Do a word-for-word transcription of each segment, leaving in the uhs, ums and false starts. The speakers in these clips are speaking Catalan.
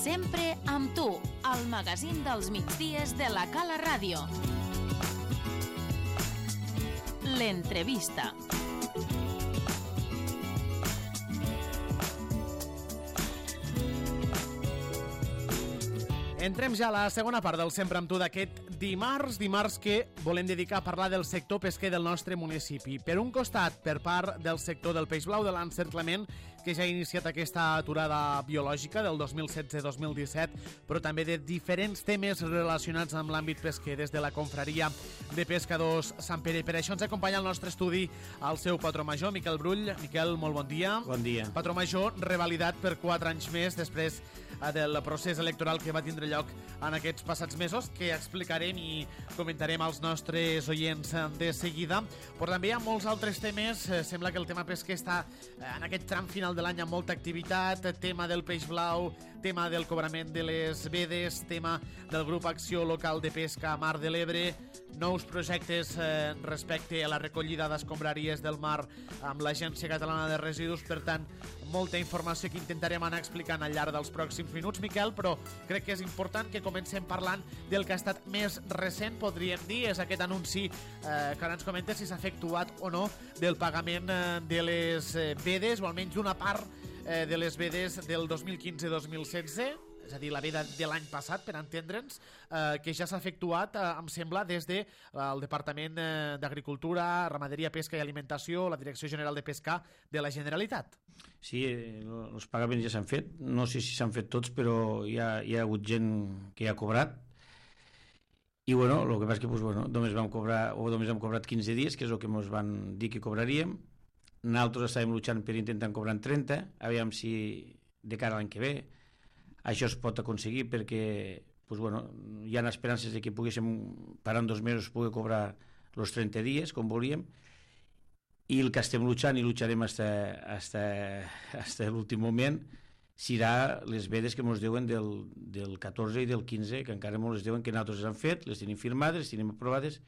Sempre amb tu, al magazín dels migdies de la Cala Ràdio. L'entrevista. Entrem ja a la segona part del Sempre amb tu d'aquest dimarts, dimarts que volem dedicar a parlar del sector pesquer del nostre municipi. Per un costat, per part del sector del peix blau de l'encerclament, que ja ha iniciat aquesta aturada biològica del dos mil setze dos mil disset, però també de diferents temes relacionats amb l'àmbit pesquer, des de la confraria de pescadors Sant Pere. Per això ens acompanya al nostre estudi el seu patró major, Miquel Brull. Miquel, molt bon dia. Bon dia. Patró major revalidat per quatre anys més després del procés electoral que va tindre lloc en aquests passats mesos, que explicarem i comentarem als nostres oients de seguida. Però també hi ha molts altres temes. Sembla que el tema pesquer està en aquest tram final de l'any amb molta activitat, tema del peix blau, tema del cobrament de les vedes, tema del grup Acció Local de Pesca a Mar de l'Ebre, nous projectes eh, respecte a la recollida d'escombraries del mar amb l'Agència Catalana de Residus. Per tant, molta informació que intentarem anar explicant al llarg dels pròxims minuts, Miquel, però crec que és important que comencem parlant del que ha estat més recent, podríem dir, és aquest anunci eh, que ara ens comenta si s'ha efectuat o no del pagament eh, de les eh, vedes, o almenys d'una part eh, de les vedes del dos mil quinze dos mil setze, és a dir, la veda de l'any passat, per entendre'ns, eh, que ja s'ha efectuat, eh, em sembla, des del de, eh, Departament eh, d'Agricultura, Ramaderia, Pesca i Alimentació, la Direcció General de Pesca de la Generalitat. Sí, els pagaments ja s'han fet, no sé si s'han fet tots, però hi ha, hi ha hagut gent que ja ha cobrat, i bueno, el que passa és que pues, bueno, només vam cobrar, o només hem cobrat quinze dies, que és el que ens van dir que cobraríem. Nosaltres estàvem luchant per intentar cobrar en trenta, aviam si de cara a l'any que ve això es pot aconseguir, perquè pues, bueno, hi ha esperances de que poguéssim parar en dos mesos poder cobrar els trenta dies com volíem, i el que estem luchant i lucharem fins a l'últim moment serà les vedes que ens deuen del, del catorze i del quinze, que encara ens les deuen, que nosaltres les han fet, les tenim firmades, les tenim aprovades,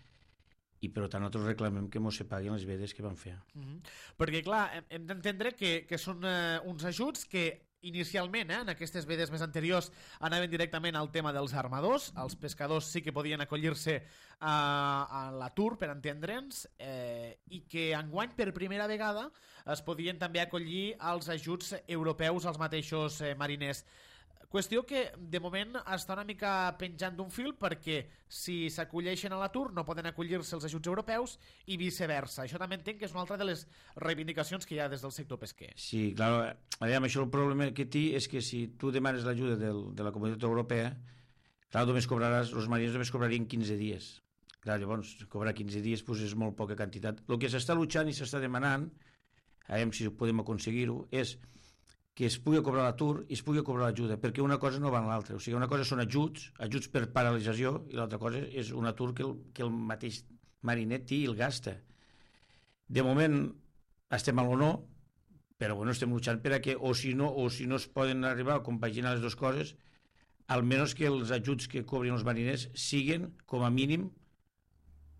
i per tant nosaltres reclamem que ens se paguin les vedes que van fer. Mm-hmm. Perquè clar, hem, hem d'entendre que, que són eh, uns ajuts que inicialment, eh, en aquestes vedes més anteriors, anaven directament al tema dels armadors. Els pescadors sí que podien acollir-se a, a l'atur, per entendre'ns, eh, i que enguany per primera vegada es podien també acollir als ajuts europeus als mateixos eh, mariners. Qüestió que de moment està una mica penjant d'un fil, perquè si s'acolleixen a l'atur no poden acollir-se els ajuts europeus i viceversa. Això també entenc que és una altra de les reivindicacions que hi ha des del sector pesquer. Sí, clar, aviam, això el problema que té és que si tu demanes l'ajuda del, de la Comunitat Europea, clar, només cobraràs, els mariners només cobrarien quinze dies. Clar, llavors, cobrar quinze dies pues, és molt poca quantitat. El que s'està luchant i s'està demanant, aviam si podem aconseguir-ho, és que es pugui cobrar l'atur i es pugui cobrar l'ajuda, perquè una cosa no va en l'altra. O sigui, una cosa són ajuts, ajuts per paralització, i l'altra cosa és un atur que el, que el mateix mariner té i el gasta. De moment estem a l'o no, però bueno, estem luchant per a que, o si no, o si no es poden arribar a compaginar les dues coses, almenys que els ajuts que cobrin els mariners siguin, com a mínim,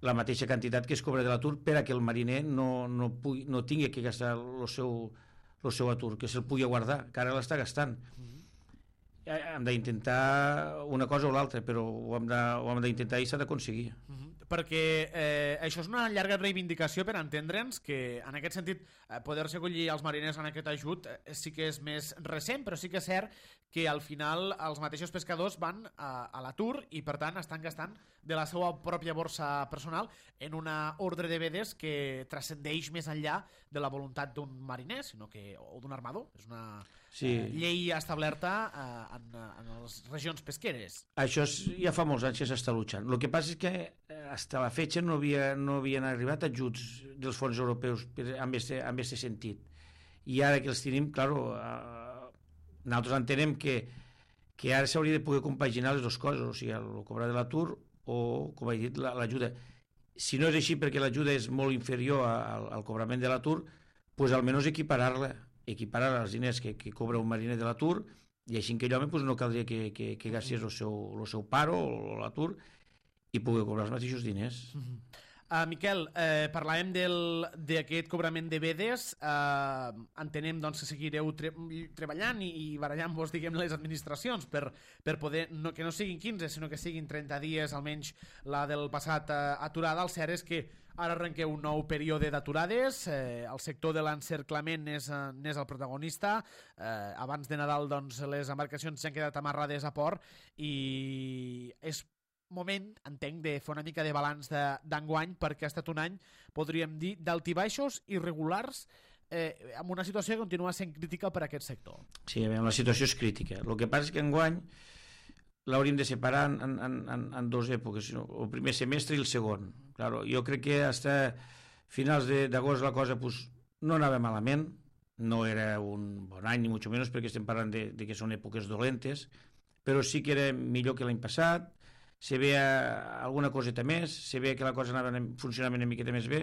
la mateixa quantitat que es cobra de l'atur, per a que el mariner no, no, pugui, no tingui que gastar el seu el seu atur, que se'l pugui guardar, que ara l'està gastant. Mm-hmm. Hem d'intentar una cosa o l'altra, però ho hem, de, ho hem d'intentar i s'ha d'aconseguir. Mm-hmm. Perquè eh, això és una llarga reivindicació, per entendre'ns, que en aquest sentit eh, poder-se acollir els mariners en aquest ajut eh, sí que és més recent, però sí que és cert que al final els mateixos pescadors van a, a l'atur i per tant estan gastant de la seva pròpia borsa personal en una ordre de vedes que transcendeix més enllà de la voluntat d'un mariner, sinó que, o d'un armador. És una sí. eh, llei establerta eh, en, en les regions pesqueres. Això és, ja fa molts anys que s'està luchant. El que passa és que eh, fins a la fetge no, havia, no havien arribat ajuts dels fons europeus amb aquest sentit. I ara que els tenim, clar, eh, nosaltres entenem que, que ara s'hauria de poder compaginar les dues coses, o sigui, el cobrar de l'atur o, com he dit, l'ajuda. Si no és així perquè l'ajuda és molt inferior al, al cobrament de l'atur, doncs almenys equiparar-la, equiparar els diners que, que cobra un mariner de l'atur, i així que l'home doncs, no caldria que, que, que gastés el seu, el seu paro o l'atur i pugui cobrar els mateixos diners. Mm-hmm. Uh, Miquel, eh, parlàvem del- d'aquest cobrament de vedes. Uh, entenem doncs, que seguireu tre treballant i, i barallant-vos, diguem, les administracions per, per poder, no, que no siguin quinze, sinó que siguin trenta dies, almenys la del passat uh, aturada. El cert és que ara arrenqueu un nou període d'aturades, eh, el sector de l'encerclament n'és n'és el protagonista. Eh, abans de Nadal doncs, les embarcacions s'han quedat amarrades a port i és moment, entenc, de fer una mica de balanç d'enguany, perquè ha estat un any, podríem dir, d'altibaixos irregulars, eh, amb una situació que continua sent crítica per a aquest sector. Sí, a veure, la situació és crítica. El que passa és que enguany l'hauríem de separar en, en, en, en dues èpoques, el primer semestre i el segon. Claro, jo crec que fins a finals d'agost la cosa pues, no anava malament, no era un bon any, ni molt menys, perquè estem parlant de, de que són èpoques dolentes, però sí que era millor que l'any passat, se veia alguna coseta més, se veia que la cosa anava funcionant una miqueta més bé,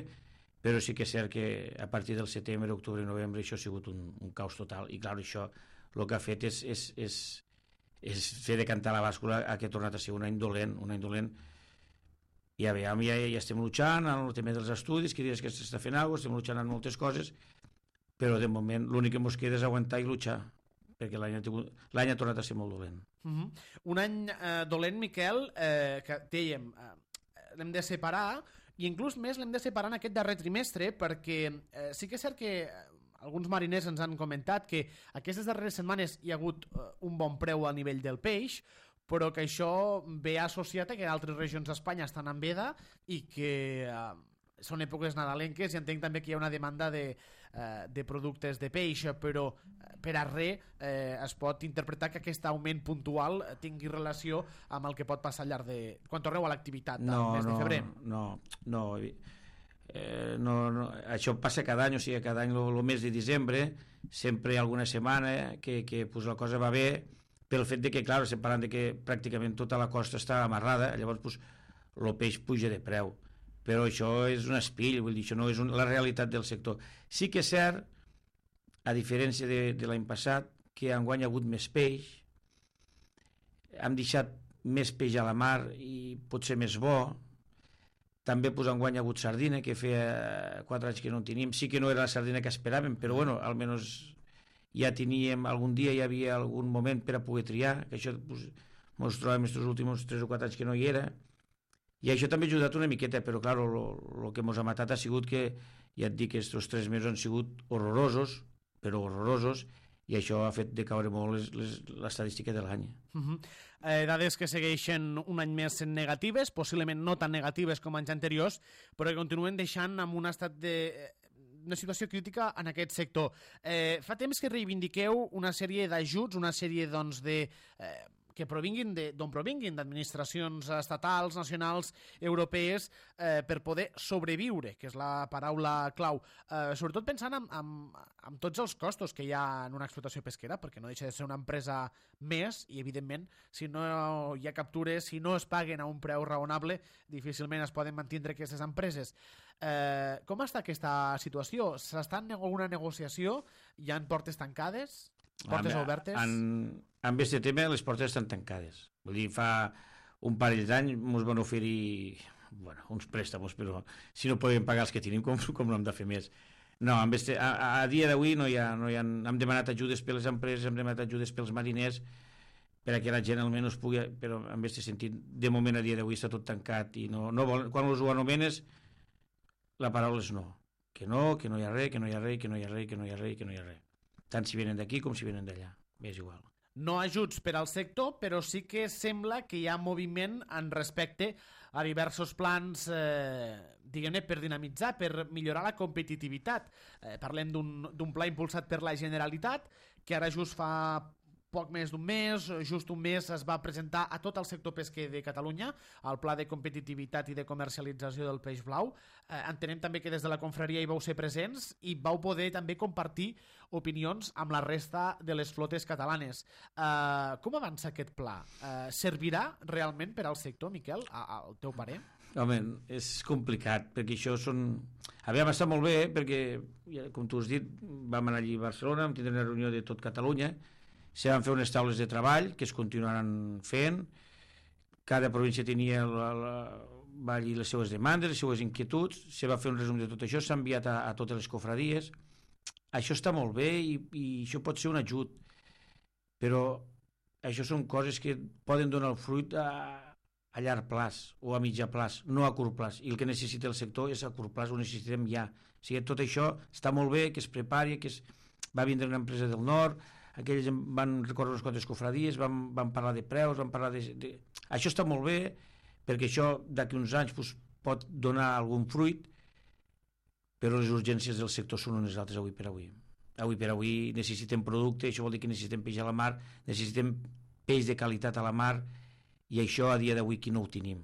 però sí que és cert que a partir del setembre, octubre i novembre això ha sigut un, un caos total, i clar, això el que ha fet és, és, és, és fer decantar la bàscula a que ha tornat a ser un any dolent, un any dolent. Ja veiem, ja, ja estem luchant en el tema dels estudis, que dius que s'està fent alguna cosa, estem luchant en moltes coses, però de moment l'únic que ens queda és aguantar i luchar, perquè l'any ha, ha tornat a ser molt dolent. Uh -huh. Un any eh, dolent, Miquel, eh, que dèiem, eh, l'hem de separar, i inclús més l'hem de separar en aquest darrer trimestre, perquè eh, sí que és cert que alguns mariners ens han comentat que aquestes darreres setmanes hi ha hagut eh, un bon preu a nivell del peix, però que això ve associat a que altres regions d'Espanya estan en veda i que eh, són èpoques nadalenques, i entenc també que hi ha una demanda de, eh, de productes de peix, però per a res eh, es pot interpretar que aquest augment puntual tingui relació amb el que pot passar al llarg de... quan torneu a l'activitat no, al mes no, de febrer. No, no, eh, no, no, això passa cada any, o sigui, cada any el mes de desembre sempre hi ha alguna setmana que, que pues, la cosa va bé, pel fet de que, clar, estem parlant de que pràcticament tota la costa està amarrada, llavors pues, el peix puja de preu, però això és un espill, vull dir, això no és un, la realitat del sector. Sí que és cert, a diferència de, de l'any passat, que enguany ha hagut més peix, hem deixat més peix a la mar i pot ser més bo. També pues, enguany ha hagut sardina, que feia quatre anys que no en teníem. Sí que no era la sardina que esperàvem, però bueno, almenys ja teníem, algun dia hi havia algun moment per a poder triar, que això pues, ens trobem aquests últims tres o quatre anys que no hi era, i això també ha ajudat una miqueta, però clar, el que ens ha matat ha sigut que, ja et dic que aquests tres mesos han sigut horrorosos, però horrorosos, i això ha fet decaure molt l'estadística de l'any. Uh -huh. eh, dades que segueixen un any més sent negatives, possiblement no tan negatives com anys anteriors, però que continuen deixant en un estat de... una situació crítica en aquest sector. Eh, fa temps que reivindiqueu una sèrie d'ajuts, una sèrie doncs, de... Eh, que provinguin d'on provinguin, d'administracions estatals, nacionals, europees, eh, per poder sobreviure, que és la paraula clau. Eh, sobretot pensant en, en, en tots els costos que hi ha en una explotació pesquera, perquè no deixa de ser una empresa més, i evidentment, si no hi ha captures, si no es paguen a un preu raonable, difícilment es poden mantenir aquestes empreses. Eh, com està aquesta situació? S'està en alguna negociació? Hi ha portes tancades? Portes en, obertes? En, en aquest tema les portes estan tancades. Vull dir, fa un parell d'anys ens van oferir bueno, uns préstamos, però si no podem pagar els que tenim, com, com no hem de fer més? No, en este, a, a dia d'avui no hi ha, no hi ha, hem demanat ajudes per les empreses, hem demanat ajudes pels mariners, per a que la gent almenys pugui, però en aquest sentit, de moment a dia d'avui està tot tancat i no, no vol, quan els ho anomenes la paraula és no, que no, que no hi ha res, que no hi ha res, que no hi ha res, que no hi ha res, que no hi ha res. Tant si venen d'aquí com si venen d'allà, és igual. No ajuts per al sector, però sí que sembla que hi ha moviment en respecte a diversos plans, eh, diguem-ne, per dinamitzar, per millorar la competitivitat. Eh, parlem d'un pla impulsat per la Generalitat, que ara just fa poc més d'un mes, just un mes, es va presentar a tot el sector pesquer de Catalunya el pla de competitivitat i de comercialització del peix blau. Eh, entenem també que des de la confraria hi vau ser presents i vau poder també compartir opinions amb la resta de les flotes catalanes. Eh, com avança aquest pla? Eh, servirà realment per al sector, Miquel, al teu parer? Home, és complicat, perquè això són... Havia estat molt bé, perquè, com tu has dit, vam anar allí a Barcelona, vam tindre una reunió de tot Catalunya, se van fer unes taules de treball que es continuaran fent, cada província tenia la, la, va dir les seues demandes, les seues inquietuds, se va fer un resum de tot això, s'ha enviat a, a totes les cofradies. Això està molt bé i, i això pot ser un ajut, però això són coses que poden donar el fruit a, a llarg plaç o a mitjà plaç, no a curt plaç, i el que necessita el sector és a curt plaç, ho necessitem ja. O sigui, tot això està molt bé, que es prepari, que es... va vindre una empresa del nord, aquells van recórrer unes quantes cofradies, van, van parlar de preus, van parlar de, de... Això està molt bé, perquè això d'aquí uns anys pues, pot donar algun fruit, però les urgències del sector són unes altres avui per avui. Avui per avui necessitem producte, això vol dir que necessitem peix a la mar, necessitem peix de qualitat a la mar, i això a dia d'avui qui no ho tenim.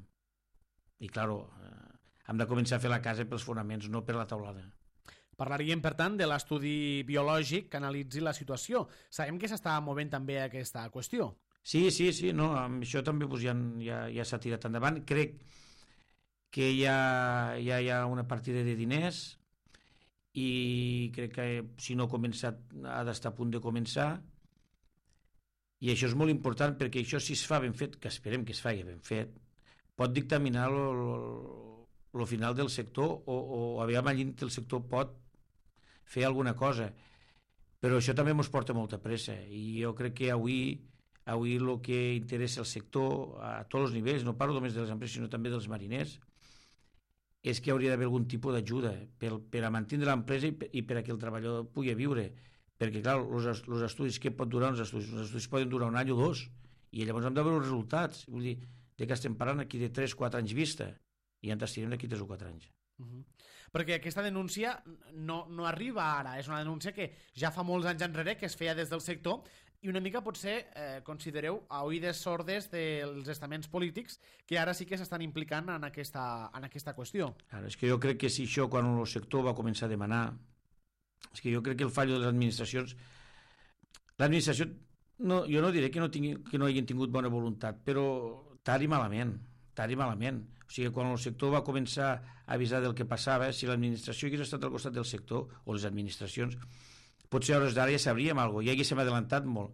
I, clar, eh, hem de començar a fer la casa pels fonaments, no per la taulada. Parlaríem, per tant, de l'estudi biològic que analitzi la situació. Sabem que s'està movent també aquesta qüestió. Sí, sí, sí, no, amb això també pues, ja, ja, ja s'ha tirat endavant. Crec que ja, ja hi ha una partida de diners i crec que si no ha començat ha d'estar a punt de començar, i això és molt important perquè això, si es fa ben fet, que esperem que es faci ben fet, pot dictaminar el final del sector o, o aviam allí el sector pot fer alguna cosa, però això també ens porta molta pressa i jo crec que avui avui el que interessa el sector a tots els nivells, no parlo només de les empreses sinó també dels mariners, és que hauria d'haver algun tipus d'ajuda per, per a mantenir l'empresa i, i per a que el treballador pugui viure, perquè clar, els estudis, què pot durar uns estudis? Els estudis poden durar un any o dos i llavors hem de veure els resultats, vull dir, de que estem parlant aquí de tres o quatre anys vista i ja ens estirem d'aquí tres o quatre anys. Uh -huh. Perquè aquesta denúncia no, no arriba ara, és una denúncia que ja fa molts anys enrere que es feia des del sector i una mica potser eh, considereu a oïdes sordes dels estaments polítics que ara sí que s'estan implicant en aquesta, en aquesta qüestió. Ara, és que jo crec que si això quan el sector va començar a demanar, és que jo crec que el fallo de les administracions, l'administració, no, jo no diré que no, tingui, que no hagin tingut bona voluntat, però tard i malament, tard i malament. O sigui, quan el sector va començar a avisar del que passava, si l'administració hagués estat al costat del sector, o les administracions, potser a hores d'ara ja sabríem alguna cosa, ja haguéssim adelantat molt,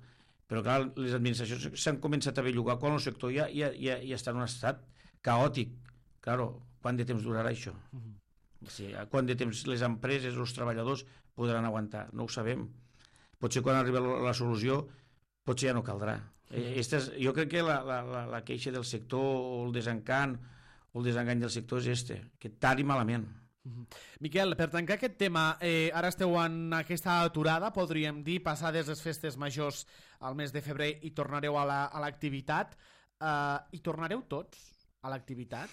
però clar, les administracions s'han començat a bellugar quan el sector ja, ja, ja, ja està en un estat caòtic. Claro, quant de temps durarà això? Uh -huh. O sigui, quant de temps les empreses, els treballadors podran aguantar? No ho sabem. Potser quan arribi la, la solució, potser ja no caldrà. Eh, és, jo crec que la, la, la, la queixa del sector o el desencant o el desengany del sector és este, que tard i malament. Miquel, per tancar aquest tema, eh, ara esteu en aquesta aturada, podríem dir, passades les festes majors al mes de febrer i tornareu a l'activitat. La, uh, I tornareu tots a l'activitat?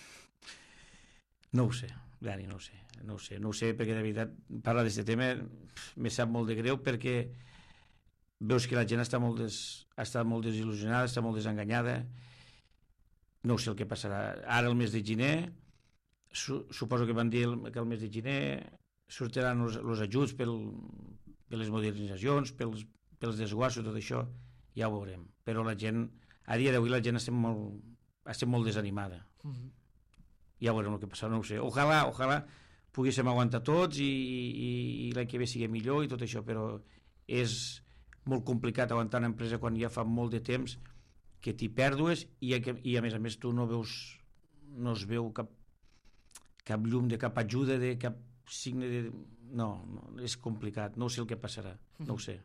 No ho sé, Dani, no ho sé. No ho sé, no ho sé perquè de veritat parlar d'aquest tema me sap molt de greu perquè veus que la gent està molt, des, està molt desil·lusionada, està molt desenganyada. No ho sé el que passarà. Ara el mes de gener suposo que van dir que el mes de gener sortiran els ajuts pel, per les modernitzacions, pels, pels desguassos, tot això, ja ho veurem. Però la gent, a dia d'avui la gent estem molt, estem molt desanimada. Uh -huh. Ja veurem el que passarà, no ho sé. Ojalà, ojalà poguéssim aguantar tots i, i, i l'any que ve sigui millor i tot això, però és molt complicat aguantar una empresa quan ja fa molt de temps que t'hi pèrdues i, i a més a més tu no veus, no es veu cap cap llum, de cap ajuda, de cap signe de... No, no, és complicat, no sé el que passarà, no ho sé.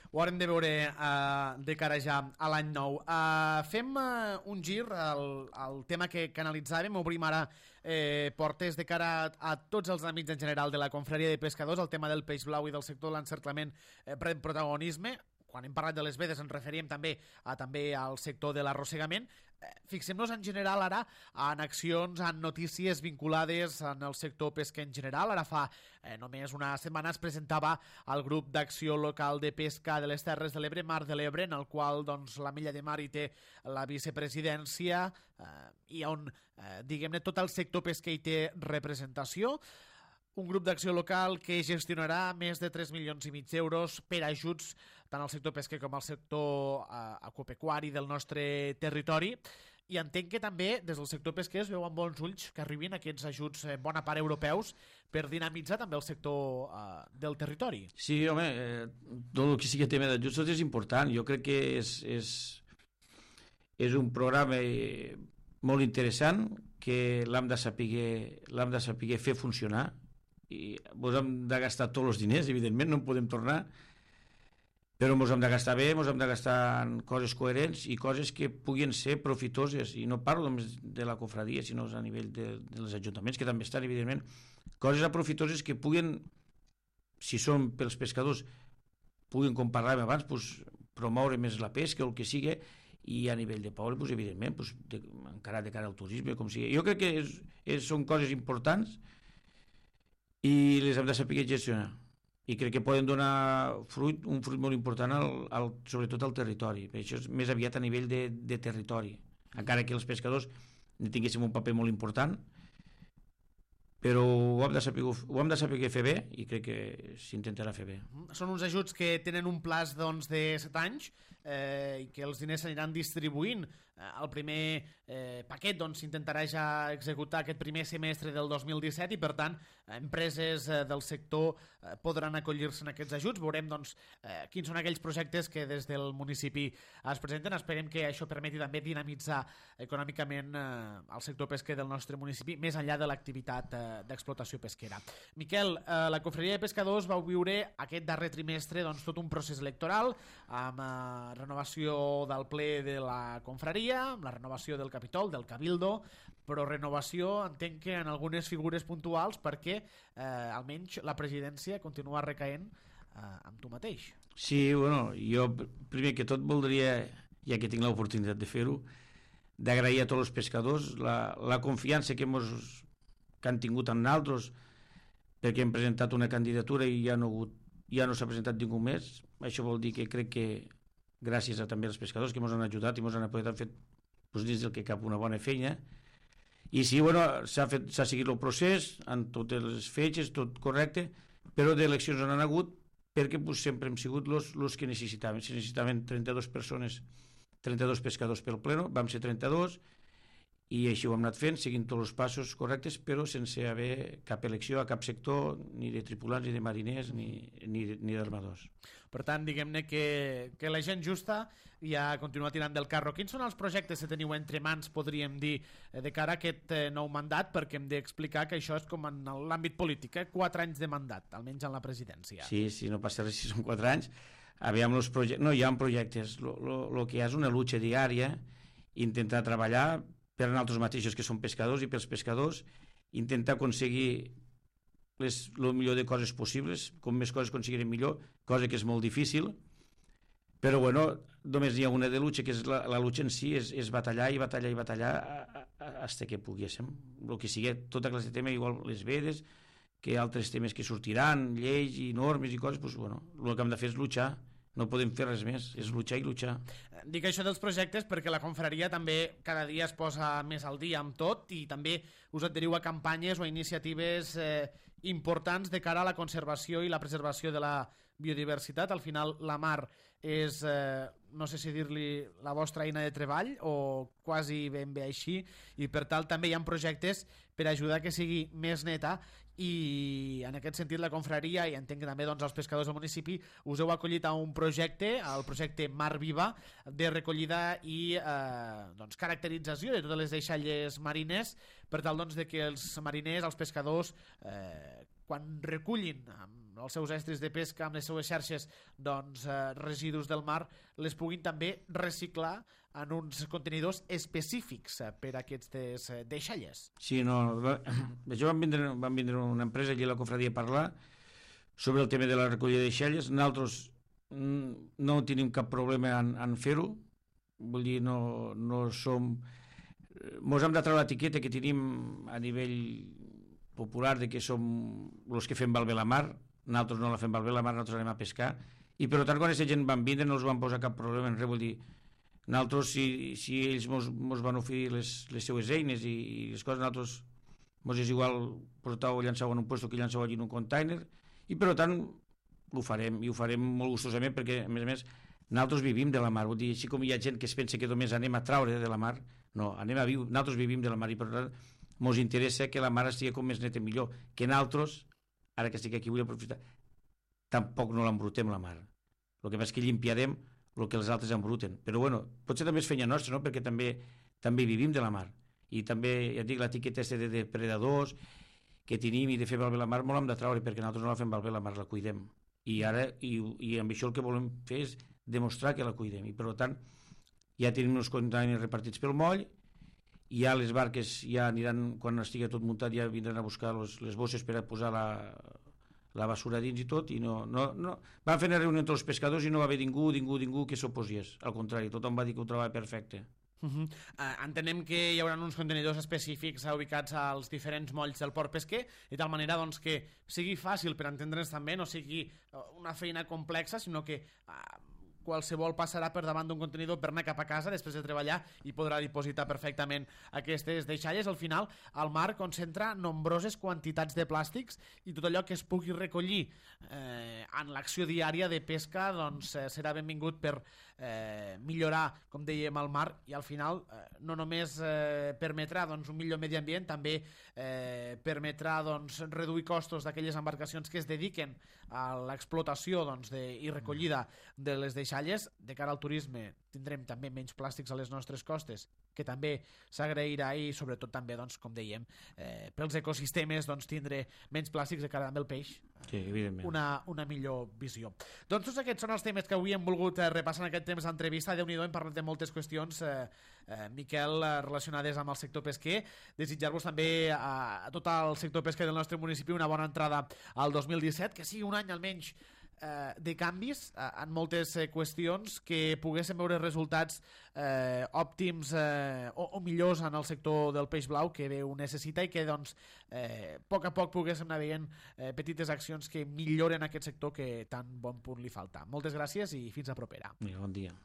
Ho haurem de veure uh, de cara ja a l'any nou. Uh, fem uh, un gir al, al tema que, que analitzàvem, obrim ara eh, portes de cara a, a tots els amics en general de la confraria de pescadors, el tema del peix blau i del sector de l'encerclament eh, pren protagonisme. Quan hem parlat de les vedes ens referíem també a també al sector de l'arrossegament. Fixem-nos en general ara en accions, en notícies vinculades en el sector pesca en general. Ara fa eh, només una setmana es presentava el grup d'acció local de pesca de les Terres de l'Ebre, Mar de l'Ebre, en el qual doncs, la Milla de Mar hi té la vicepresidència eh, i on, eh, diguem-ne, tot el sector pesquer hi té representació. Un grup d'acció local que gestionarà més de tres milions i mig d'euros per ajuts tant al sector pesquer com al sector eh, agropecuari del nostre territori. I entenc que també des del sector pesquer es veu amb bons ulls que arribin aquests ajuts en bona part europeus per dinamitzar també el sector eh, del territori. Sí, home, eh, tot el que sigui tema d'ajuts tot és important. Jo crec que és, és, és un programa molt interessant que que l'hem de saber, l'hem de saber fer funcionar, i ens hem de gastar tots els diners, evidentment, no en podem tornar, però ens hem de gastar bé, ens hem de gastar en coses coherents i coses que puguin ser profitoses, i no parlo només de la confraria, sinó a nivell de, de els ajuntaments, que també estan, evidentment, coses aprofitoses que puguin, si són pels pescadors, puguin, com parlàvem abans, pues, promoure més la pesca o el que sigui, i a nivell de poble, pues, evidentment, pues, de, encara de cara al turisme, com sigui. Jo crec que és, és, són coses importants i les hem de saber gestionar. I crec que poden donar fruit, un fruit molt important, al, al, sobretot al territori. Això és més aviat a nivell de, de territori. Encara que els pescadors ne tinguéssim un paper molt important, però ho hem de saber, ho hem de saber fer bé i crec que s'intentarà fer bé. Són uns ajuts que tenen un plaç doncs, de set anys eh, i que els diners s'aniran distribuint. Eh, el primer eh, paquet doncs, s'intentarà ja executar aquest primer semestre del dos mil disset i per tant empreses eh, del sector eh, podran acollir-se en aquests ajuts. Veurem doncs, eh, quins són aquells projectes que des del municipi es presenten. Esperem que això permeti també dinamitzar econòmicament eh, el sector pesquer del nostre municipi més enllà de l'activitat eh, d'explotació pesquera. Miquel, eh, la Confraria de Pescadors vau viure aquest darrer trimestre doncs, tot un procés electoral amb eh, renovació del ple de la confraria, amb la renovació del Capitol, del Cabildo, però renovació entenc que en algunes figures puntuals perquè eh, almenys la presidència continua recaent eh, amb tu mateix. Sí, bueno, jo primer que tot voldria, ja que tinc l'oportunitat de fer-ho, d'agrair a tots els pescadors la, la confiança que, mos, que han tingut en nosaltres, perquè hem presentat una candidatura i ja no, ja no s'ha presentat ningú més. Això vol dir que crec que gràcies a també als pescadors que ens han ajudat i ens han apoyat, han fet doncs, dins del que cap una bona feina. I sí, bueno, s'ha seguit el procés amb totes les fetges, tot correcte, però d'eleccions on han hagut perquè pues, sempre hem sigut els que necessitaven. Si necessitaven trenta-dues persones, trenta-dos pescadors pel pleno, vam ser trenta-dos i així ho hem anat fent, seguint tots els passos correctes, però sense haver cap elecció a cap sector, ni de tripulants, ni de mariners, ni, ni, ni d'armadors. Per tant, diguem-ne que, que la gent justa ja continua tirant del carro. Quins són els projectes que teniu entre mans, podríem dir, de cara a aquest nou mandat? Perquè hem d'explicar que això és com en l'àmbit polític, eh? quatre anys de mandat, almenys en la presidència. Sí, sí, no passa res si són quatre anys. Aviam los projectes... No, hi ha projectes. El que hi ha és una lucha diària, intentar treballar per a nosaltres mateixos, que som pescadors, i pels pescadors, intentar aconseguir el millor de coses possibles, com més coses aconseguirem millor, cosa que és molt difícil, però bueno, només hi ha una de lucha, que és la, la lucha en si, és, és batallar i batallar i batallar fins que poguéssim, el que sigui, tota classe de tema, igual les vedes, que altres temes que sortiran, lleis i normes i coses, doncs, bueno, el que hem de fer és luchar, no podem fer res més, és luchar i luchar. Dic això dels projectes perquè la confraria també cada dia es posa més al dia amb tot i també us adheriu a campanyes o a iniciatives eh, importants de cara a la conservació i la preservació de la biodiversitat. Al final la mar és, eh, no sé si dir-li la vostra eina de treball o quasi ben bé així, i per tal també hi ha projectes per ajudar que sigui més neta, i en aquest sentit la confraria, i entenc que també doncs, els pescadors del municipi, us heu acollit a un projecte, el projecte Mar Viva, de recollida i eh, doncs, caracterització de totes les deixalles marines, per tal doncs, de que els mariners, els pescadors, eh, quan recullin amb els seus estris de pesca, amb les seues xarxes, doncs, eh, residus del mar, les puguin també reciclar en uns contenidors específics per a aquestes deixalles. Sí, no, va, això van vindre, van vindre una empresa allí a la confraria a parlar sobre el tema de la recollida de deixalles. Nosaltres no tenim cap problema en, en fer-ho, vull dir, no, no som... Mos hem de treure l'etiqueta que tenim a nivell popular de que som els que fem valver la mar. Nosaltres no la fem valver la mar, nosaltres anem a pescar, i per tant quan aquesta gent van vindre no els van posar cap problema en res, vull dir, nosaltres si, si ells mos, mos van oferir les, les seues eines i, i les coses, nosaltres mos és igual portar o llançar en un lloc que llançar allí en un container, i per tant ho farem, i ho farem molt gustosament perquè a més a més nosaltres vivim de la mar, vull dir, així com hi ha gent que es pensa que només anem a traure de la mar, no, anem a viure, nosaltres vivim de la mar i per tant mos interessa que la mar estigui com més neta millor, que nosaltres, ara que estic aquí vull aprofitar, tampoc no l'embrutem la mar, el que passa és que limpiarem el que els altres embruten, però bueno, potser també és feina nostra, no? Perquè també també vivim de la mar I també, ja et dic, l'etiqueta de depredadors que tenim i de fer malbé la mar, molt hem de traure, perquè nosaltres no la fem malbé la mar, la cuidem. I ara, i, i amb això el que volem fer és demostrar que la cuidem. I per tant, ja tenim uns containers repartits pel moll, i ja les barques ja aniran, quan estigui tot muntat, ja vindran a buscar los, les bosses per a posar la, la basura dins i tot, i no, no, no. Van fer una reunió entre els pescadors i no va haver ningú, ningú, ningú que s'oposies. Al contrari, tothom va dir que ho trebava perfecte. Uh -huh. uh, entenem que hi haurà uns contenidors específics ubicats als diferents molls del port pesquer, de tal manera doncs, que sigui fàcil per entendre'ns també, no sigui una feina complexa, sinó que uh, qualsevol passarà per davant d'un contenidor per anar cap a casa després de treballar i podrà dipositar perfectament aquestes deixalles. Al final, el mar concentra nombroses quantitats de plàstics i tot allò que es pugui recollir eh, en l'acció diària de pesca doncs, eh, serà benvingut per eh, millorar, com dèiem, el mar, i al final eh, no només eh, permetrà doncs, un millor medi ambient, també eh, permetrà doncs, reduir costos d'aquelles embarcacions que es dediquen a l'explotació doncs, de, i recollida de les deixalles. De cara al turisme tindrem també menys plàstics a les nostres costes, que també s'agrairà, i sobretot també, doncs, com dèiem, eh, pels ecosistemes doncs, tindre menys plàstics de cara també al peix. Sí, evidentment. Una, una millor visió. Doncs tots aquests són els temes que avui hem volgut eh, repassar en aquest temps d'entrevista. Déu-n'hi-do, hem parlat de moltes qüestions, eh, eh, Miquel, eh, relacionades amb el sector pesquer. Desitjar-vos també a, a tot el sector pesquer del nostre municipi una bona entrada al dos mil disset, que sigui un any almenys eh, de canvis eh, en moltes eh, qüestions, que poguéssim veure resultats eh, òptims eh, o, o millors en el sector del peix blau, que bé ho necessita, i que doncs eh, a poc a poc poguéssim anar veient eh, petites accions que milloren aquest sector que tan bon punt li falta. Moltes gràcies i fins a propera. Bon dia.